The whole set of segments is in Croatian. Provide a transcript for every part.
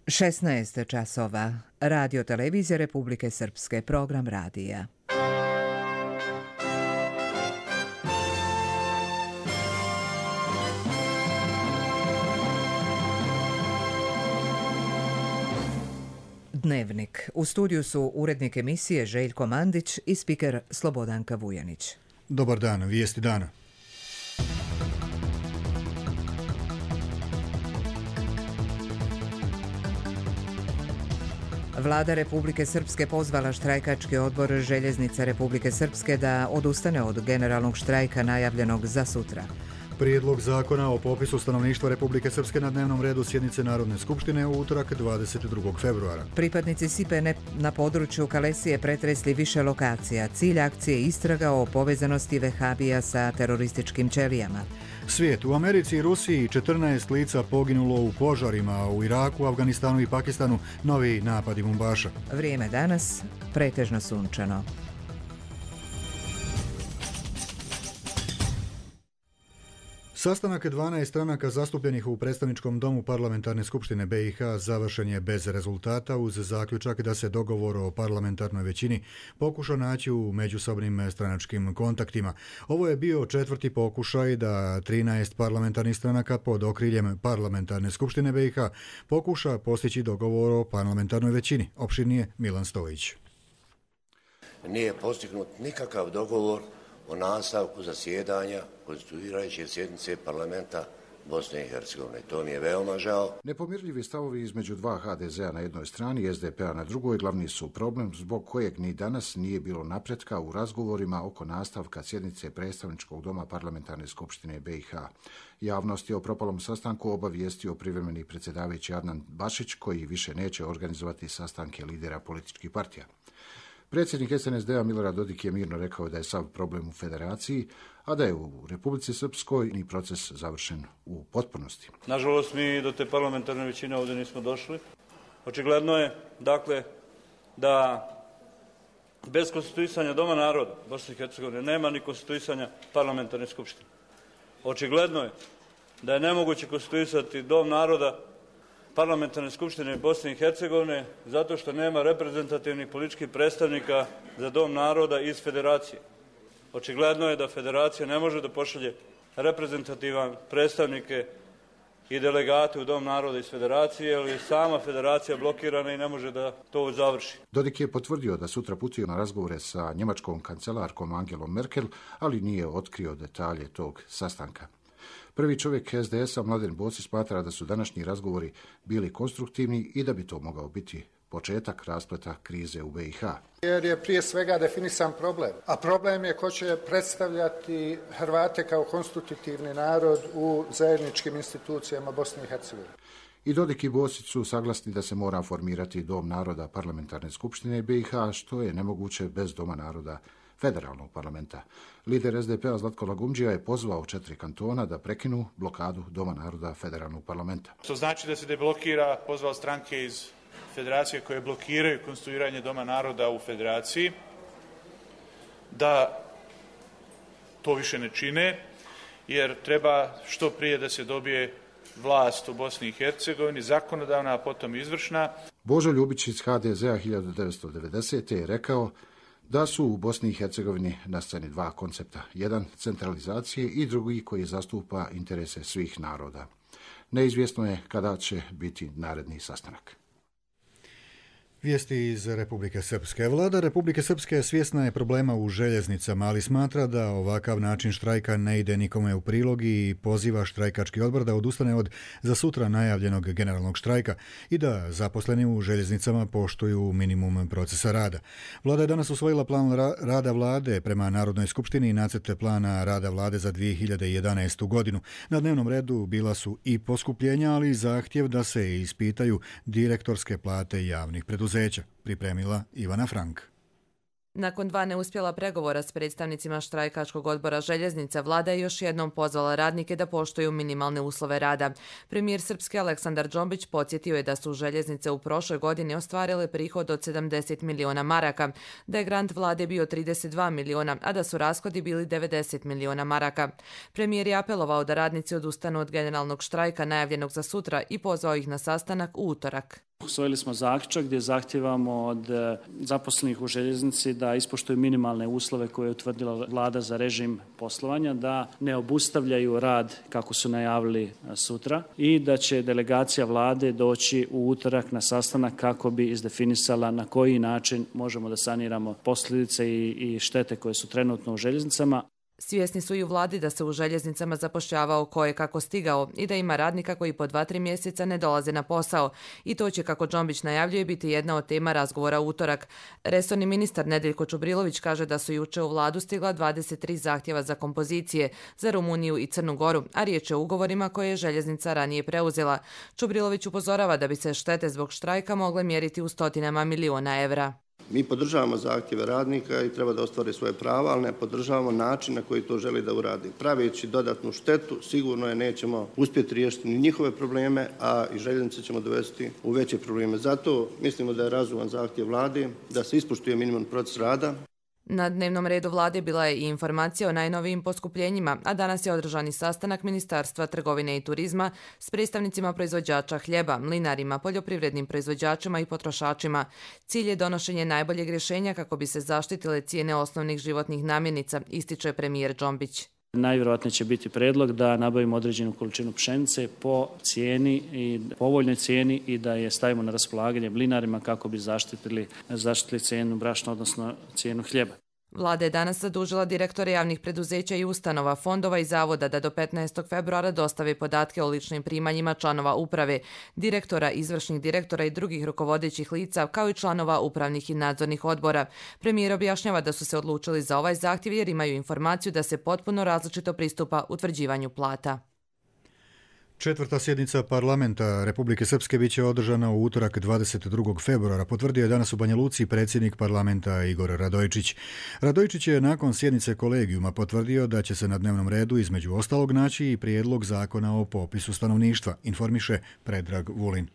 16 časova. Radio televizija Republike Srpske, program radija. Dnevnik. U studiju su urednik emisije Željko Mandić i spiker Slobodanka Vujanić. Dobar dan, vijesti dana. Vlada Republike Srpske pozvala štrajkački odbor Željeznica Republike Srpske da odustane od generalnog štrajka najavljenog za sutra. Prijedlog zakona o popisu stanovništva Republike Srpske na dnevnom redu sjednice Narodne skupštine u utorak 22. februara. Pripadnici SIPE na području Kalesije pretresli više lokacija. Cilj akcije istraga o povezanosti vehabija sa terorističkim ćelijama. Svijet. U Americi i Rusiji 14 lica poginulo u požarima, a u Iraku, Afganistanu i Pakistanu novi napadi bombaša. Vrijeme danas pretežno sunčano. Sastanak 12 stranaka zastupljenih u predstavničkom domu Parlamentarne skupštine BiH završen je bez rezultata uz zaključak da se dogovor o parlamentarnoj većini pokuša naći u međusobnim stranačkim kontaktima. Ovo je bio četvrti pokušaj da 13 parlamentarnih stranaka pod okriljem Parlamentarne skupštine BiH pokuša postići dogovor o parlamentarnoj većini. Opširnije Milan Stojić. Nije postignut nikakav dogovor o nastavku zasjedanja konstituirajuće sjednice parlamenta Bosne i Hercegovine. To mi je veoma žao. Nepomirljivi stavovi između dva HDZ-a na jednoj strani i SDP-a na drugoj glavni su problem zbog kojeg ni danas nije bilo napretka u razgovorima oko nastavka sjednice predstavničkog doma Parlamentarne skupštine BiH. Javnost je o propalom sastanku obavijestio privremeni predsjedavajući Adnan Bašić, koji više neće organizovati sastanke lidera političkih partija. Predsjednik SNSD-a Milorad Dodik je mirno rekao da je sav problem u federaciji, a da je u Republici Srpskoj ni proces završen u potpunosti. Nažalost, mi do te parlamentarne većine ovdje nismo došli. Očigledno je, dakle, da bez konstituisanja Doma naroda Bosne i Hercegovine nema ni konstituisanja parlamentarne skupštine. Očigledno je da je nemoguće konstituisati Dom naroda Parlamentarne skupštine Bosne i Hercegovine zato što nema reprezentativnih političkih predstavnika za Dom naroda iz federacije. Očigledno je da federacija ne može da pošalje reprezentativan predstavnike i delegate u Dom naroda iz federacije, jer je sama federacija blokirana i ne može da to završi. Dodik je potvrdio da sutra putuje na razgovore sa njemačkom kancelarkom Angelom Merkel, ali nije otkrio detalje tog sastanka. Prvi čovjek SDS-a, Mladen Bosić, smatra da su današnji razgovori bili konstruktivni i da bi to mogao biti početak raspleta krize u BiH. Jer je prije svega definisan problem, a problem je ko će predstavljati Hrvate kao konstitutivni narod u zajedničkim institucijama Bosne i Hercegovine. I Dodik i Bosić su saglasni da se mora formirati Dom naroda Parlamentarne skupštine BiH, što je nemoguće bez Doma naroda federalnog parlamenta. Lider SDP-a Zlatko Lagumdžija je pozvao 4 kantona da prekinu blokadu Doma naroda federalnog parlamenta. To znači da se deblokira, pozvao stranke iz federacije koje blokiraju konstituiranje Doma naroda u federaciji, da to više ne čine, jer treba što prije da se dobije vlast u Bosni i Hercegovini, zakonodavna, a potom izvršna. Božo Ljubić iz HDZ-a 1990. je rekao da su u Bosni i Hercegovini na sceni dva koncepta. Jedan centralizacije i drugi koji zastupa interese svih naroda. Neizvjesno je kada će biti naredni sastanak. Vijesti iz Republike Srpske. Vlada Republike Srpske svjesna je problema u željeznicama, ali smatra da ovakav način štrajka ne ide nikome u prilog i poziva štrajkački odbor da odustane od za sutra najavljenog generalnog štrajka i da zaposleni u željeznicama poštuju minimum procesa rada. Vlada je danas usvojila plan rada vlade prema Narodnoj skupštini i nacrte plana rada vlade za 2011. godinu. Na dnevnom redu bila su i poskupljenja, ali i zahtjev da se ispitaju direktorske plate javnih preduzeća. Pripremila Ivana Frank. Nakon 2 neuspjela pregovora s predstavnicima štrajkačkog odbora željeznica, vlada je još jednom pozvala radnike da poštuju minimalne uslove rada. Premijer Srpske Aleksandar Džombić podsjetio je da su željeznice u prošloj godini ostvarile prihod od 70 miliona maraka, da je grant vlade bio 32 miliona, a da su rashodi bili 90 miliona maraka. Premijer je apelovao da radnici odustanu od generalnog štrajka najavljenog za sutra i pozvao ih na sastanak u utorak. Usvojili smo zaključak gdje zahtijevamo od zaposlenih u željeznici da ispoštuju minimalne uslove koje je utvrdila vlada za režim poslovanja, da ne obustavljaju rad kako su najavili sutra i da će delegacija vlade doći u utorak na sastanak kako bi izdefinisala na koji način možemo da saniramo posljedice i štete koje su trenutno u željeznicama. Svjesni su i u vladi da se u željeznicama zapošljavao ko je kako stigao i da ima radnika koji po 2-3 mjeseca ne dolaze na posao. I to će, kako Džombić najavljuje, biti jedna od tema razgovora u utorak. Resorni ministar Nedeljko Čubrilović kaže da su juče u vladu stigla 23 zahtjeva za kompozicije za Rumuniju i Crnu Goru, a riječ je o ugovorima koje je željeznica ranije preuzela. Čubrilović upozorava da bi se štete zbog štrajka mogle mjeriti u stotinama miliona evra. Mi podržavamo zahtjeve radnika i treba da ostvare svoje prava, ali ne podržavamo način na koji to želi da uradi. Praveći dodatnu štetu, sigurno je nećemo uspjeti riješiti ni njihove probleme, a i željeznice ćemo dovesti u veće probleme. Zato mislimo da je razuman zahtjev vlade da se ispoštuje minimum proces rada. Na dnevnom redu vlade bila je i informacija o najnovijim poskupljenjima, a danas je održan i sastanak Ministarstva trgovine i turizma s predstavnicima proizvođača hljeba, mlinarima, poljoprivrednim proizvođačima i potrošačima. Cilj je donošenje najboljeg rješenja kako bi se zaštitile cijene osnovnih životnih namirnica, ističe premijer Džombić. Najvjerojatnije će biti prijedlog da nabavimo određenu količinu pšenice po cijeni i povoljnoj cijeni i da je stavimo na raspolaganje mlinarima kako bi zaštitili cijenu brašna, odnosno cijenu hljeba. Vlada je danas zadužila direktore javnih preduzeća i ustanova, fondova i zavoda da do 15. februara dostave podatke o ličnim primanjima članova uprave, direktora, izvršnih direktora i drugih rukovodećih lica, kao i članova upravnih i nadzornih odbora. Premijer objašnjava da su se odlučili za ovaj zahtjev jer imaju informaciju da se potpuno različito pristupa utvrđivanju plata. Četvrta sjednica parlamenta Republike Srpske biće održana u utorak 22. februara, potvrdio je danas u Banja Luci predsjednik parlamenta Igor Radojičić. Radojičić je nakon sjednice kolegijuma potvrdio da će se na dnevnom redu između ostalog naći i prijedlog zakona o popisu stanovništva, informiše Predrag Vulin.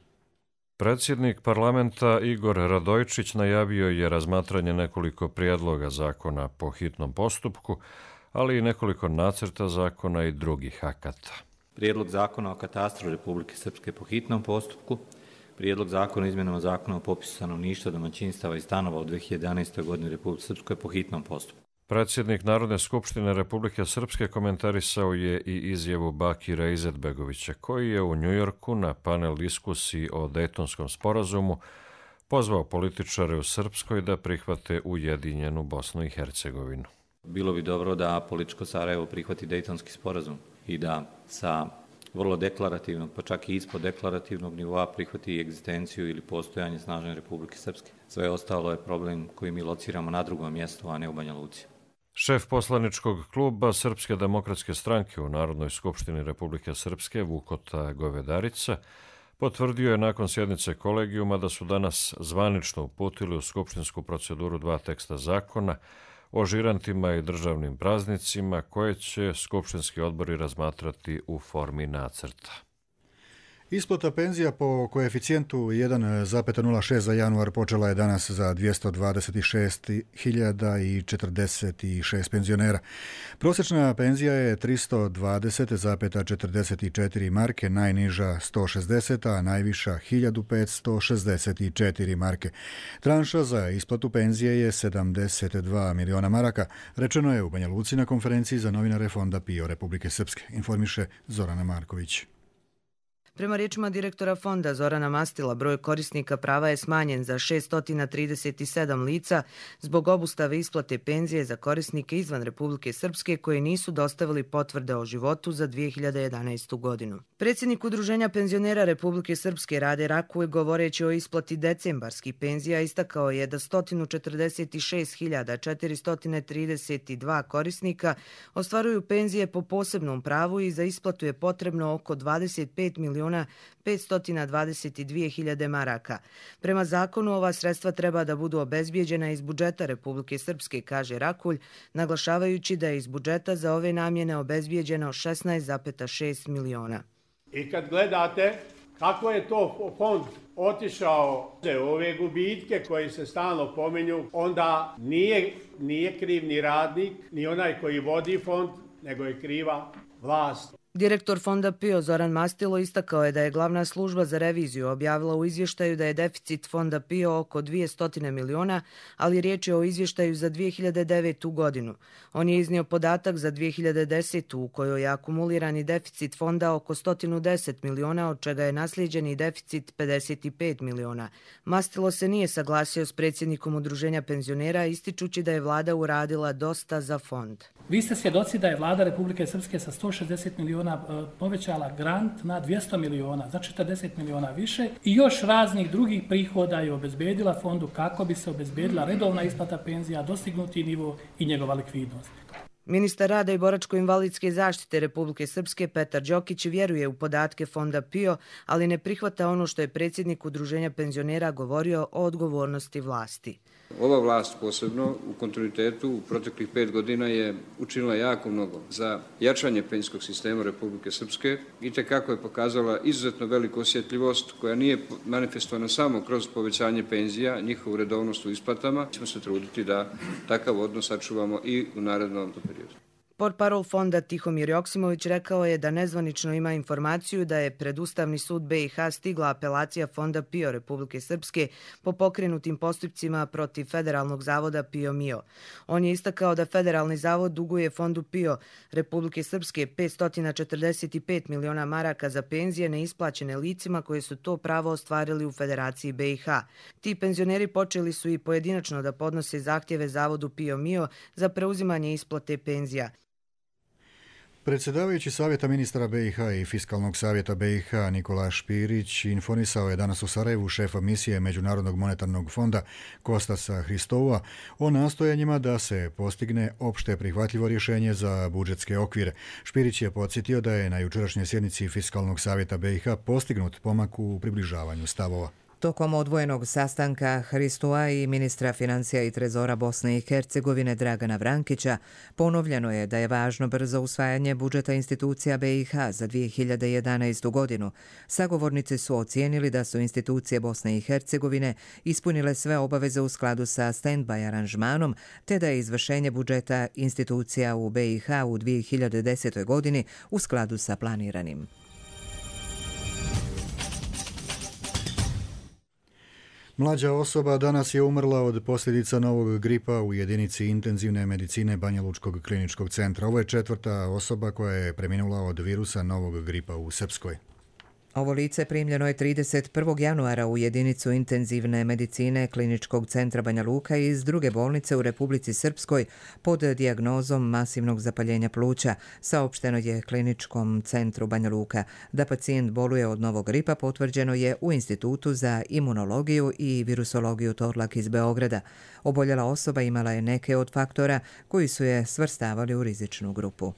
Predsjednik parlamenta Igor Radojičić najavio je razmatranje nekoliko prijedloga zakona po hitnom postupku, ali i nekoliko nacrta zakona i drugih akata. Prijedlog zakona o katastru Republike Srpske po hitnom postupku, prijedlog zakona o izmjenama zakona o popisu stanovništva, domaćinstava i stanova u 2011. godini u Republike Srpskoj po hitnom postupku. Predsjednik Narodne skupštine Republike Srpske komentarisao je i izjavu Bakira Izetbegovića, koji je u Njujorku na panel diskusiji o Dejtonskom sporazumu pozvao političare u Srpskoj da prihvate ujedinjenu Bosnu i Hercegovinu. Bilo bi dobro da političko Sarajevo prihvati Dejtonski sporazum i da sa vrlo deklarativnog, pa čak i ispod deklarativnog nivoa prihvati egzistenciju ili postojanje snažne Republike Srpske. Sve ostalo je problem koji mi lociramo na drugom mjestu, a ne u Banja Luci. Šef poslaničkog kluba Srpske demokratske stranke u Narodnoj skupštini Republike Srpske, Vukota Govedarica, potvrdio je nakon sjednice kolegijuma da su danas zvanično uputili u skupštinsku proceduru 2 teksta zakona o žirantima i državnim praznicima koje će skupštinski odbori razmatrati u formi nacrta. Isplata penzija po koeficijentu 1,06 za januar počela je danas za 226.046 penzionera. Prosječna penzija je 320,44 marke, najniža 160, a najviša 1564 marke. Tranša za isplatu penzije je 72 miliona maraka, rečeno je u Banja Luci na konferenciji za novinare Fonda PIO Republike Srpske, informiše Zorana Marković. Prema riječima direktora fonda Zorana Mastila, broj korisnika prava je smanjen za 637 lica zbog obustave isplate penzije za korisnike izvan Republike Srpske koji nisu dostavili potvrde o životu za 2011. godinu. Predsjednik Udruženja penzionera Republike Srpske Rade Rakuj, govoreći o isplati decembarskih penzija, istakao je da 146.432 korisnika ostvaruju penzije po posebnom pravu i za isplatu je potrebno oko 25.522.000 maraka. Prema zakonu ova sredstva treba da budu obezbijeđena iz budžeta Republike Srpske, kaže Rakulj, naglašavajući da je iz budžeta za ove namjene obezbijeđeno 16,6 miliona. I kad gledate kako je to fond otišao u ove gubitke koji se stalno pominju, onda nije kriv ni radnik, ni onaj koji vodi fond, nego je kriva vlast. Direktor Fonda PIO Zoran Mastilo istakao je da je glavna služba za reviziju objavila u izvještaju da je deficit Fonda PIO oko 200 miliona, ali riječ je o izvještaju za 2009. godinu. On je iznio podatak za 2010. u kojoj je akumulirani deficit fonda oko 110 miliona, od čega je naslijeđeni deficit 55 miliona. Mastilo se nije saglasio s predsjednikom Udruženja penzionera, ističući da je vlada uradila dosta za fond. Vi ste svjedoci da je vlada Republike Srpske sa 160 miliona povećala grant na 200 miliona, za 40 miliona više i još raznih drugih prihoda je obezbedila fondu kako bi se obezbedila redovna isplata penzija, dostignuti nivo i njegova likvidnost. Ministar rada i boračko-invalidske zaštite Republike Srpske Petar Đokić vjeruje u podatke Fonda PIO, ali ne prihvata ono što je predsjednik Udruženja penzionera govorio o odgovornosti vlasti. Ova vlast posebno u kontinuitetu u proteklih 5 godina je učinila jako mnogo za jačanje penzijskog sistema Republike Srpske i tekako je pokazala izuzetno veliku osjetljivost koja nije manifestovana samo kroz povećanje penzija, njihovu redovnost u isplatama. Ćemo se truditi da takav odnos sačuvamo i u narednom periodu. Portparol fonda Tihomir Joksimović rekao je da nezvanično ima informaciju da je pred Ustavni sud BiH stigla apelacija Fonda PIO Republike Srpske po pokrenutim postupcima protiv Federalnog zavoda PIO MIO. On je istakao da Federalni zavod duguje Fondu PIO Republike Srpske 545 miliona maraka za penzije neisplaćene licima koje su to pravo ostvarili u Federaciji BiH. Ti penzioneri počeli su i pojedinačno da podnose zahtjeve Zavodu PIO MIO za preuzimanje isplate penzija. Predsjedavajući Savjeta ministara BiH i Fiskalnog savjeta BiH Nikola Špirić informisao je danas u Sarajevu šefa misije Međunarodnog monetarnog fonda Kostasa Hristoua o nastojanjima da se postigne opšte prihvatljivo rješenje za budžetske okvire. Špirić je podsjetio da je na jučerašnjoj sjednici Fiskalnog savjeta BiH postignut pomak u približavanju stavova. Tokom odvojenog sastanka Hristoua i ministra financija i trezora Bosne i Hercegovine Dragana Vrankića ponovljeno je da je važno brzo usvajanje budžeta institucija BiH za 2011. godinu. Sagovornici su ocijenili da su institucije Bosne i Hercegovine ispunile sve obaveze u skladu sa stand-by aranžmanom, te da je izvršenje budžeta institucija u BiH u 2010. godini u skladu sa planiranim. Mlađa osoba danas je umrla od posljedica novog gripa u jedinici intenzivne medicine Banja Lučkog kliničkog centra. Ovo je 4. osoba koja je preminula od virusa novog gripa u Srpskoj. Ovo lice primljeno je 31. januara u jedinicu intenzivne medicine Kliničkog centra Banja Luka iz druge bolnice u Republici Srpskoj pod dijagnozom masivnog zapaljenja pluća. Saopšteno je Kliničkom centru Banja Luka. Da pacijent boluje od novog gripa potvrđeno je u Institutu za imunologiju i virusologiju Torlak iz Beograda. Oboljela osoba imala je neke od faktora koji su je svrstavali u rizičnu grupu.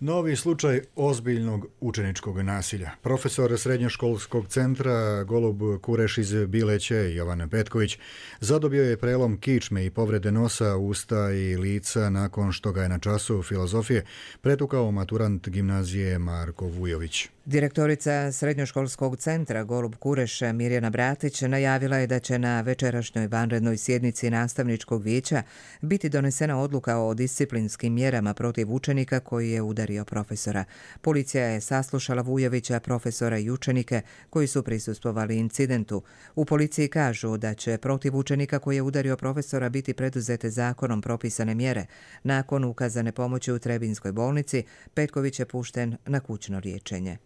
Novi slučaj ozbiljnog učeničkog nasilja. Profesor srednjoškolskog centra Golub Kureš iz Bileće, Jovan Petković, zadobio je prelom kičme i povrede nosa, usta i lica nakon što ga je na času filozofije pretukao maturant gimnazije Marko Vujović. Direktorica srednjoškolskog centra Golub Kureš Mirjana Bratić najavila je da će na večerašnjoj vanrednoj sjednici nastavničkog vijeća biti donesena odluka o disciplinskim mjerama protiv učenika koji je udario profesora. Policija je saslušala Vujovića, profesora i učenike koji su prisustvovali incidentu. U policiji kažu da će protiv učenika koji je udario profesora biti preduzete zakonom propisane mjere. Nakon ukazane pomoći u Trebinskoj bolnici, Petković je pušten na kućno liječenje.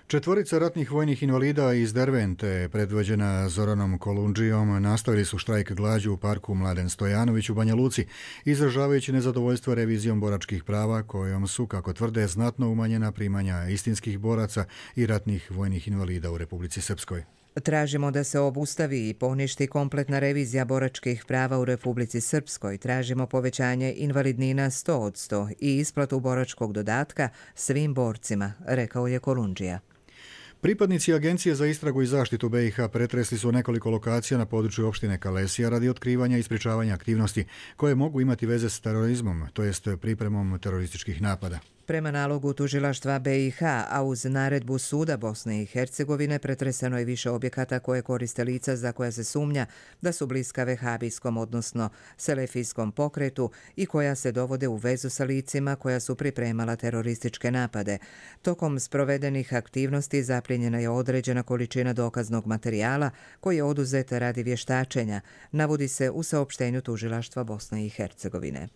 4 ratnih vojnih invalida iz Dervente, predvođena Zoranom Kolundžijom, nastavili su štrajk glađu u parku Mladen Stojanović u Banja Luci, izražavajući nezadovoljstvo revizijom boračkih prava kojom su, kako tvrde, znatno umanjena primanja istinskih boraca i ratnih vojnih invalida u Republici Srpskoj. Tražimo da se obustavi i poništi kompletna revizija boračkih prava u Republici Srpskoj. Tražimo povećanje invalidnina 100% i isplatu boračkog dodatka svim borcima, rekao je Kolundžija. Pripadnici Agencije za istragu i zaštitu BiH pretresli su nekoliko lokacija na području opštine Kalesija radi otkrivanja i sprečavanja aktivnosti koje mogu imati veze s terorizmom, to jest pripremom terorističkih napada. Prema nalogu tužilaštva BiH, a uz naredbu suda Bosne i Hercegovine, pretreseno je više objekata koje koriste lica za koja se sumnja da su bliska vehabijskom, odnosno selefijskom pokretu i koja se dovode u vezu sa licima koja su pripremala terorističke napade. Tokom sprovedenih aktivnosti zaplijenjena je određena količina dokaznog materijala koji je oduzet radi vještačenja, navodi se u saopštenju tužilaštva Bosne i Hercegovine.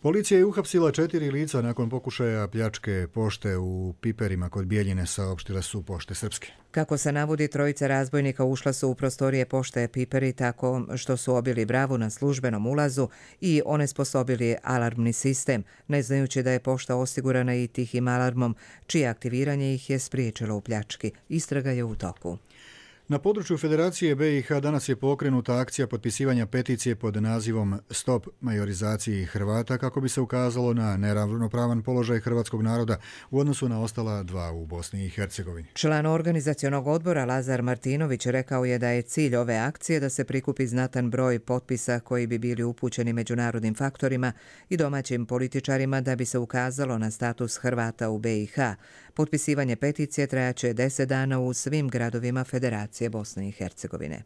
Policija je uhapsila 4 lica nakon pokušaja pljačke pošte u Piperima kod Bijeljine, saopštile su Pošte Srpske. Kako se navodi, trojica razbojnika ušla su u prostorije pošte Piperi tako što su obili bravu na službenom ulazu i onesposobili alarmni sistem, ne znajući da je pošta osigurana i tihim alarmom, čije aktiviranje ih je spriječilo u pljački. Istraga je u toku. Na području Federacije BiH danas je pokrenuta akcija potpisivanja peticije pod nazivom Stop majorizaciji Hrvata kako bi se ukazalo na neravnopravan položaj hrvatskog naroda u odnosu na ostala dva u Bosni i Hercegovini. Član organizacionog odbora Lazar Martinović rekao je da je cilj ove akcije da se prikupi znatan broj potpisa koji bi bili upućeni međunarodnim faktorima i domaćim političarima da bi se ukazalo na status Hrvata u BiH. Potpisivanje peticije trajaće 10 dana u svim gradovima Federacije Bosne i Hercegovine.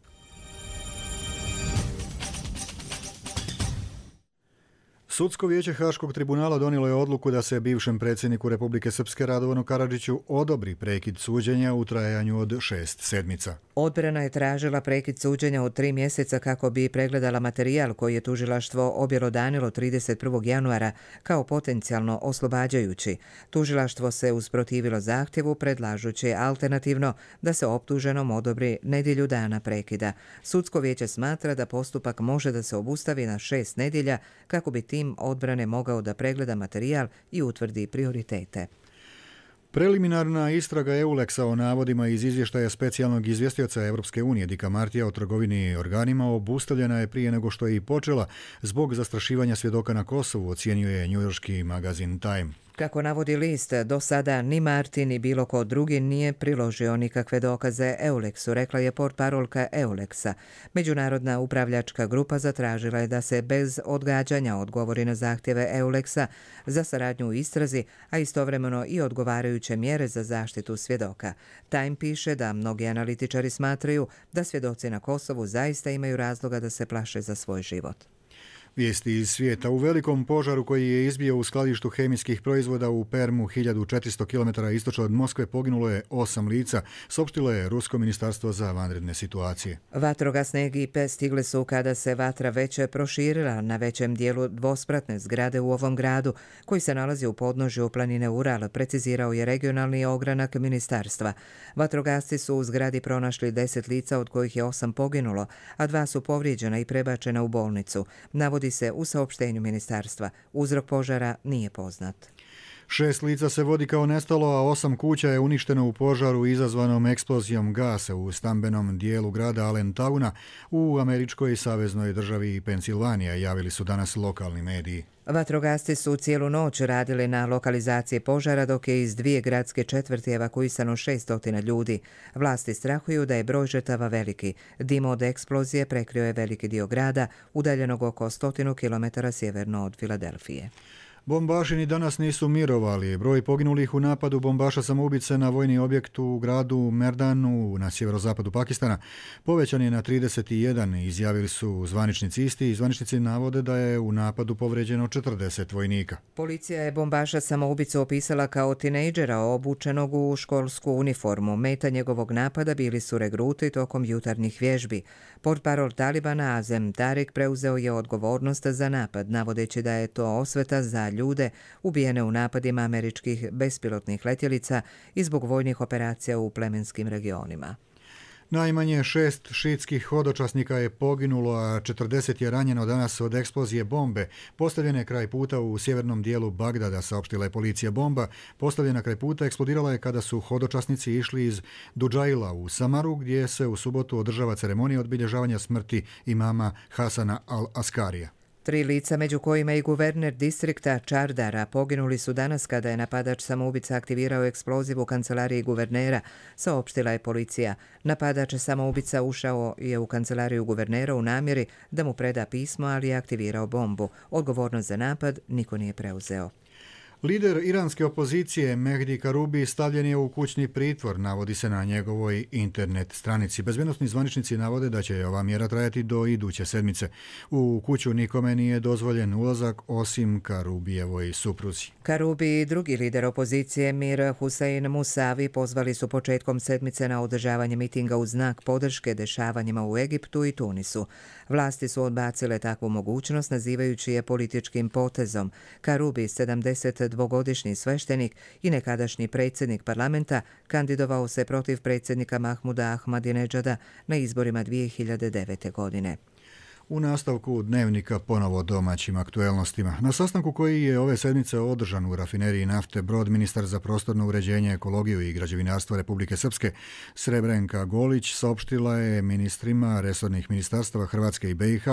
Sudsko vijeće Haškog tribunala donijelo je odluku da se bivšem predsjedniku Republike Srpske Radovanu Karadžiću odobri prekid suđenja u trajanju od 6 sedmica. Odbrana je tražila prekid suđenja od 3 mjeseca kako bi pregledala materijal koji je tužilaštvo objelodanilo 31. januara kao potencijalno oslobađajući. Tužilaštvo se usprotivilo zahtjevu predlažući alternativno da se optuženom odobri nedjelju dana prekida. Sudsko vijeće smatra da postupak može da se obustavi na 6 nedjelja kako bi tim odbrane mogao da pregleda materijal i utvrdi prioritete. Preliminarna istraga EULEX-a o navodima iz izvještaja specijalnog izvjestioca Europske unije Dicka Martija o trgovini i organima obustavljena je prije nego što je i počela zbog zastrašivanja svjedoka na Kosovu, ocjenjuje njujorški magazin Time. Kako navodi list, do sada ni Martin ni bilo ko drugi nije priložio nikakve dokaze EULEX-u, rekla je portparolka EULEX-a. Međunarodna upravljačka grupa zatražila je da se bez odgađanja odgovori na zahtjeve EULEX-a za saradnju u istrazi, a istovremeno i odgovarajuće mjere za zaštitu svjedoka. Time piše da mnogi analitičari smatraju da svjedoci na Kosovu zaista imaju razloga da se plaše za svoj život. Vijesti iz svijeta. U velikom požaru koji je izbio u skladištu hemijskih proizvoda u Permu 1400 km istočno od Moskve poginulo je 8 lica, saopštilo je Rusko ministarstvo za vanredne situacije. Vatrogasne ekipe stigle su kada se vatra već proširila na većem dijelu dvospratne zgrade u ovom gradu, koji se nalazi u podnožju planine Ural, precizirao je regionalni ogranak ministarstva. Vatrogasci su u zgradi pronašli 10 lica, od kojih je 8 poginulo, a 2 su povrijeđena i prebačena u bolnicu. Navodi se u saopštenju ministarstva. Uzrok požara nije poznat. 6 lica se vodi kao nestalo, a 8 kuća je uništeno u požaru izazvanom eksplozijom gasa u stambenom dijelu grada Allentowna u američkoj saveznoj državi Pensilvanija, javili su danas lokalni mediji. Vatrogasci su cijelu noć radili na lokalizaciji požara, dok je iz 2 gradske četvrti evakuisano 600 ljudi. Vlasti strahuju da je broj žrtava veliki. Dim od eksplozije prekrio je veliki dio grada, udaljenog oko 100 km sjeverno od Filadelfije. Bombaši ni danas nisu mirovali. Broj poginulih u napadu bombaša samoubice na vojni objekt u gradu Merdanu na sjeverozapadu Pakistana povećan je na 31, izjavili su zvaničnici isti i zvaničnici navode da je u napadu povređeno 40 vojnika. Policija je bombaša samoubicu opisala kao tinejdžera obučenog u školsku uniformu. Meta njegovog napada bili su regruti tokom jutarnjih vježbi. Portparol Talibana Azem Tariq preuzeo je odgovornost za napad, navodeći da je to osveta za ljude ubijene u napadima američkih bespilotnih letjelica i zbog vojnih operacija u plemenskim regionima. Najmanje 6 šiitskih hodočasnika je poginulo, a 40 je ranjeno danas od eksplozije bombe postavljene kraj puta u sjevernom dijelu Bagdada, saopštila je policija. Bomba postavljena kraj puta eksplodirala je kada su hodočasnici išli iz Dudžaila u Samaru, gdje se u subotu održava ceremonija obilježavanja smrti imama Hasana al-Askarija. 3 lica, među kojima i guverner distrikta Čardara, poginuli su danas kada je napadač samoubica aktivirao eksploziv u kancelariji guvernera, saopštila je policija. Napadač samoubica ušao je u kancelariju guvernera u namjeri da mu preda pismo, ali je aktivirao bombu. Odgovornost za napad niko nije preuzeo. Lider iranske opozicije Mehdi Karubi stavljen je u kućni pritvor, navodi se na njegovoj internet stranici. Bezbednosni zvaničnici navode da će ova mjera trajati do iduće sedmice. U kuću nikome nije dozvoljen ulazak osim Karubijevoj supruzi. Karubi i drugi lider opozicije Mir Hussein Musavi pozvali su početkom sedmice na održavanje mitinga u znak podrške dešavanjima u Egiptu i Tunisu. Vlasti su odbacile takvu mogućnost nazivajući je političkim potezom. Karubi, 72-godišnji sveštenik i nekadašnji predsjednik parlamenta, kandidovao se protiv predsjednika Mahmuda Ahmadinedžada na izborima 2009. godine. U nastavku dnevnika ponovo domaćim aktuelnostima. Na sastanku koji je ove sedmice održan u rafineriji nafte Brod, ministar za prostorno uređenje, ekologiju i građevinarstvo Republike Srpske Srebrenka Golić saopštila je ministrima resornih ministarstava Hrvatske i BiH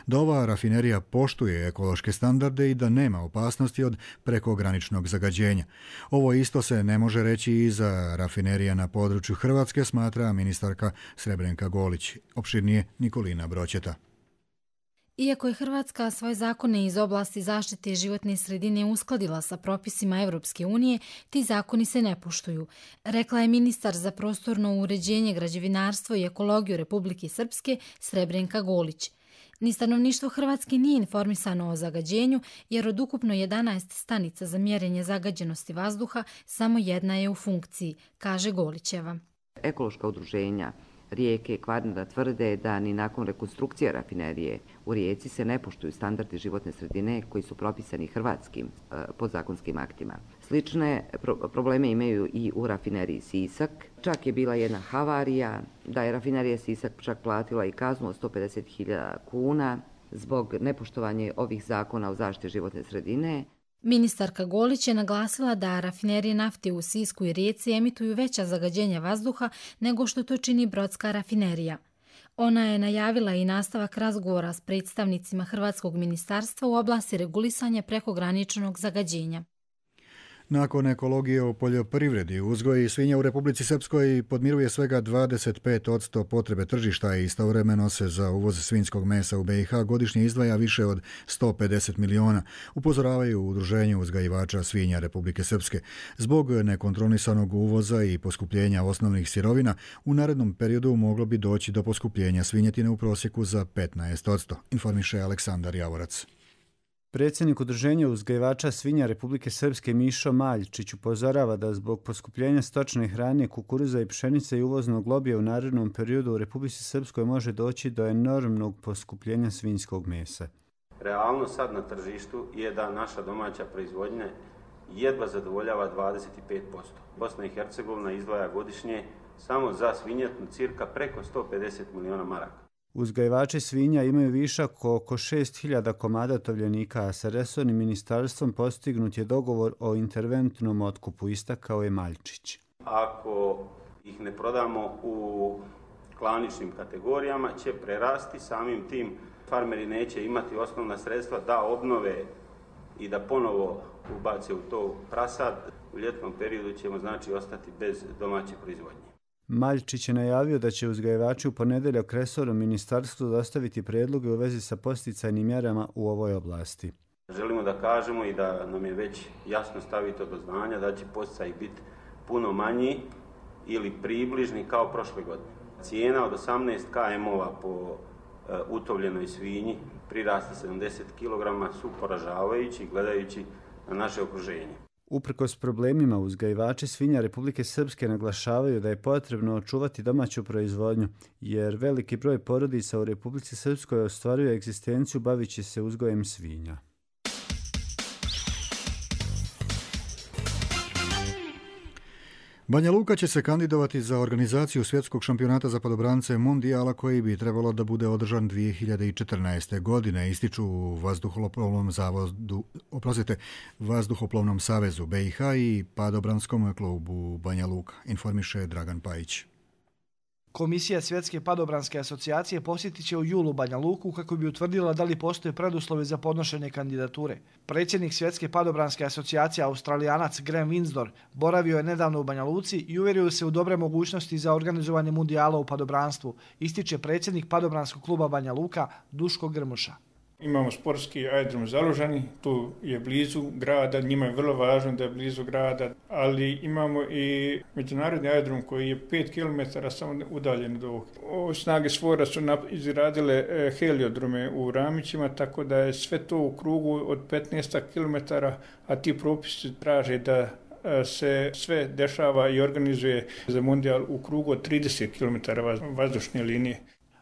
da ova rafinerija poštuje ekološke standarde i da nema opasnosti od prekograničnog zagađenja. Ovo isto se ne može reći i za rafinerija na području Hrvatske, smatra ministarka Srebrenka Golić. Opširnije Nikolina Broćeta. Iako je Hrvatska svoje zakone iz oblasti zaštite životne sredine uskladila sa propisima Evropske unije, ti zakoni se ne poštuju, rekla je ministar za prostorno uređenje, građevinarstvo i ekologiju Republike Srpske Srebrenka Golić. Ni stanovništvo Hrvatske nije informisano o zagađenju, jer od ukupno 11 stanica za mjerenje zagađenosti vazduha samo jedna je u funkciji, kaže Golićeva. Ekološka udruženja Rijeke i Kvarnera tvrde da ni nakon rekonstrukcije rafinerije u Rijeci se ne poštuju standardi životne sredine koji su propisani hrvatskim podzakonskim aktima. Slične probleme imaju i u rafineriji Sisak. Čak je bila jedna havarija da je rafinerija Sisak čak platila i kaznu od 150.000 kuna zbog nepoštovanja ovih zakona o zaštiti životne sredine. Ministarka Golić je naglasila da rafinerije nafte u Sisku i Rijeci emituju veća zagađenja vazduha nego što to čini Brodska rafinerija. Ona je najavila i nastavak razgovora s predstavnicima Hrvatskog ministarstva u oblasti regulisanja prekograničnog zagađenja. Nakon ekologije u poljoprivredi, uzgoj svinja u Republici Srpskoj podmiruje svega 25% potrebe tržišta i istovremeno se za uvoz svinjskog mesa u BiH godišnje izdvaja više od 150 miliona, upozoravaju u Udruženju uzgajivača svinja Republike Srpske. Zbog nekontrolisanog uvoza i poskupljenja osnovnih sirovina, u narednom periodu moglo bi doći do poskupljenja svinjetine u prosjeku za 15%, informiše Aleksandar Javorac. Predsjednik Udruženja uzgajivača svinja Republike Srpske Mišo Maljčić upozorava da zbog poskupljenja stočne hrane, kukuruza i pšenice i uvoznog lobija u narednom periodu u Republici Srpskoj može doći do enormnog poskupljenja svinjskog mesa. Realno sad na tržištu je da naša domaća proizvodnja jedva zadovoljava 25%. Bosna i Hercegovina izdvaja godišnje samo za svinjetnu cirka preko 150 miliona maraka. Uzgajivači svinja imaju višak oko 6.000 komada tovljenika, a sa resornim ministarstvom postignut je dogovor o interventnom otkupu, istakao je Maljčić. Ako ih ne prodamo u klaničnim kategorijama, će prerasti, samim tim farmeri neće imati osnovna sredstva da obnove i da ponovo ubace u to prasad. U ljetnom periodu ćemo znači ostati bez domaće proizvodnje. Maljčić je najavio da će uzgajivači u ponedjeljak resornom ministarstvu dostaviti prijedloge u vezi sa posticajnim mjerama u ovoj oblasti. Želimo da kažemo i da nam je već jasno stavito do znanja da će posticaji biti puno manji ili približni kao prošle godine. Cijena od 18 km-ova po utovljenoj svinji prirasta 70 kg su poražavajući gledajući na naše okruženje. Uprkos problemima, uzgajivači svinja Republike Srpske naglašavaju da je potrebno očuvati domaću proizvodnju, jer veliki broj porodica u Republici Srpskoj ostvaruje egzistenciju bavići se uzgojem svinja. Banja Luka će se kandidovati za organizaciju svjetskog šampionata za padobrance Mondijala koji bi trebalo da bude održan 2014. godine, ističu u Vazduhoplovnom savezu BiH i padobranskom klubu Banja Luka, informiše Dragan Pajić. Komisija Svjetske padobranske asocijacije posjetit će u julu Banja Luku kako bi utvrdila da li postoje preduslovi za podnošenje kandidature. Predsjednik Svjetske padobranske asocijacije Australijanac Graham Winsdor boravio je nedavno u Banja Luci i uvjerio se u dobre mogućnosti za organizovanje mundijala u padobranstvu, ističe predsjednik padobranskog kluba Banja Luka Duško Grmuša. Imamo sportski aerodrom Zalužani, tu je blizu grada, njima je vrlo važno da je blizu grada, ali imamo i međunarodni aerodrom koji je 5 km samo udaljen od ovog. Snage SFOR-a su izradile heliodrome u Ramićima, tako da je sve to u krugu od 15 km, a ti propisi traže da se sve dešava i organizuje za mundijal u krugu od 30 km vazdušne linije.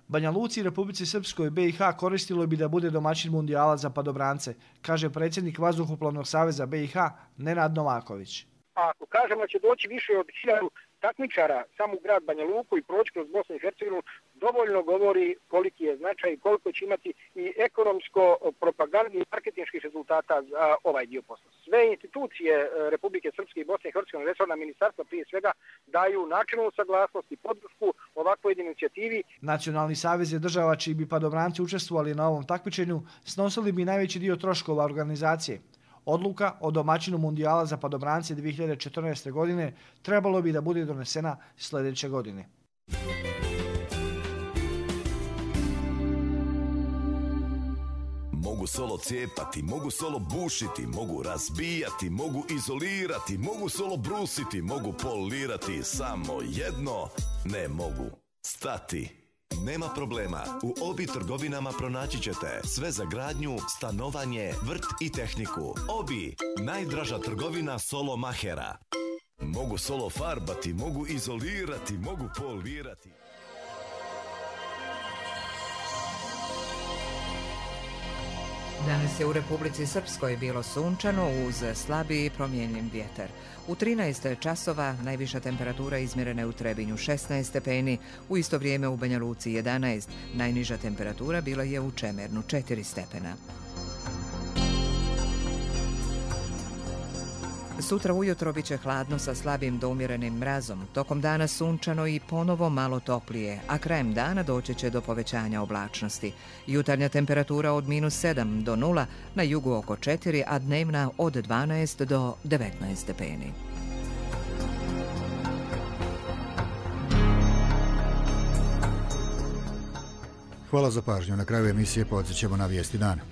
Banja Luci i Republici Srpskoj BiH koristilo bi da bude domaćin mundijala za padobrance, kaže predsjednik Vazduhoplovnog saveza BiH Nenad Novaković. Ako kažemo da će doći više od 1000 takmičara samo u grad Banja Luku i proći kroz Bosnu i Hercegovinu, dovoljno govori koliki je značaj i koliko će imati i ekonomsko-propagandni i marketinških rezultata za ovaj dio posla. Sve institucije Republike Srpske i Bosne i Hercegovine, resorna ministarstva prije svega, daju načelnu saglasnost i podršku ovakvoj inicijativi. Nacionalni savez je država čiji bi padobranci učestvovali na ovom takmičenju, snosili bi najveći dio troškova organizacije. Odluka o domaćinu mundijala za padobrance 2014. godine trebalo bi da bude donesena sljedeće godine. Mogu solo cijepati, mogu solo bušiti, mogu razbijati, mogu izolirati, mogu solo brusiti, mogu polirati, samo jedno ne mogu stati. Nema problema, u Obi trgovinama pronaći ćete sve za gradnju, stanovanje, vrt i tehniku. Obi, najdraža trgovina solo mahera. Mogu solo farbati, mogu izolirati, mogu polirati. Danas je u Republici Srpskoj bilo sunčano uz slabiji promjenjiv vjetar. U 13 časova najviša temperatura izmjerena je u Trebinju 16 stepeni, u isto vrijeme u Banja Luci 11, najniža temperatura bila je u Čemernu 4 stepena. Sutra ujutro bit će hladno sa slabim do umjerenim mrazom, tokom dana sunčano i ponovo malo toplije, a krajem dana doći će do povećanja oblačnosti. Jutarnja temperatura od -7 do 0, na jugu oko 4, a dnevna od 12 do 19 stepeni. Hvala za pažnju. Na kraju emisije podsjećamo na vijesti dana.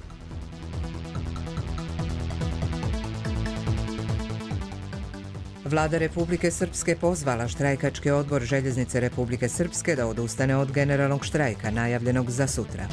Vlada Republike Srpske pozvala štrajkački odbor Željeznice Republike Srpske da odustane od generalnog štrajka najavljenog za sutra.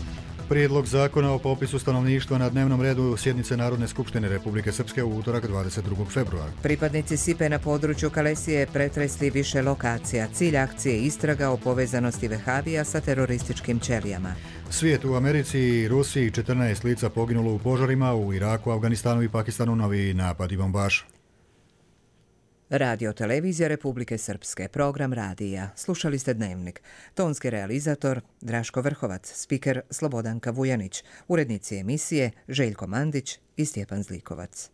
Prijedlog zakona o popisu stanovništva na dnevnom redu sjednice Narodne skupštine Republike Srpske u utorak 22. februara. Pripadnici SIPE na području Kalesije pretresli više lokacija. Cilj akcije istraga o povezanosti Vehavija sa terorističkim ćelijama. Svijet u Americi i Rusiji, 14 lica poginulo u požarima, u Iraku, Afganistanu i Pakistanu novi napad i bombaš. Radio Televizija Republike Srpske, program radija. Slušali ste Dnevnik. Tonski realizator Draško Vrhovac, spiker Slobodanka Vujanić, urednici emisije Željko Mandić i Stjepan Zlikovac.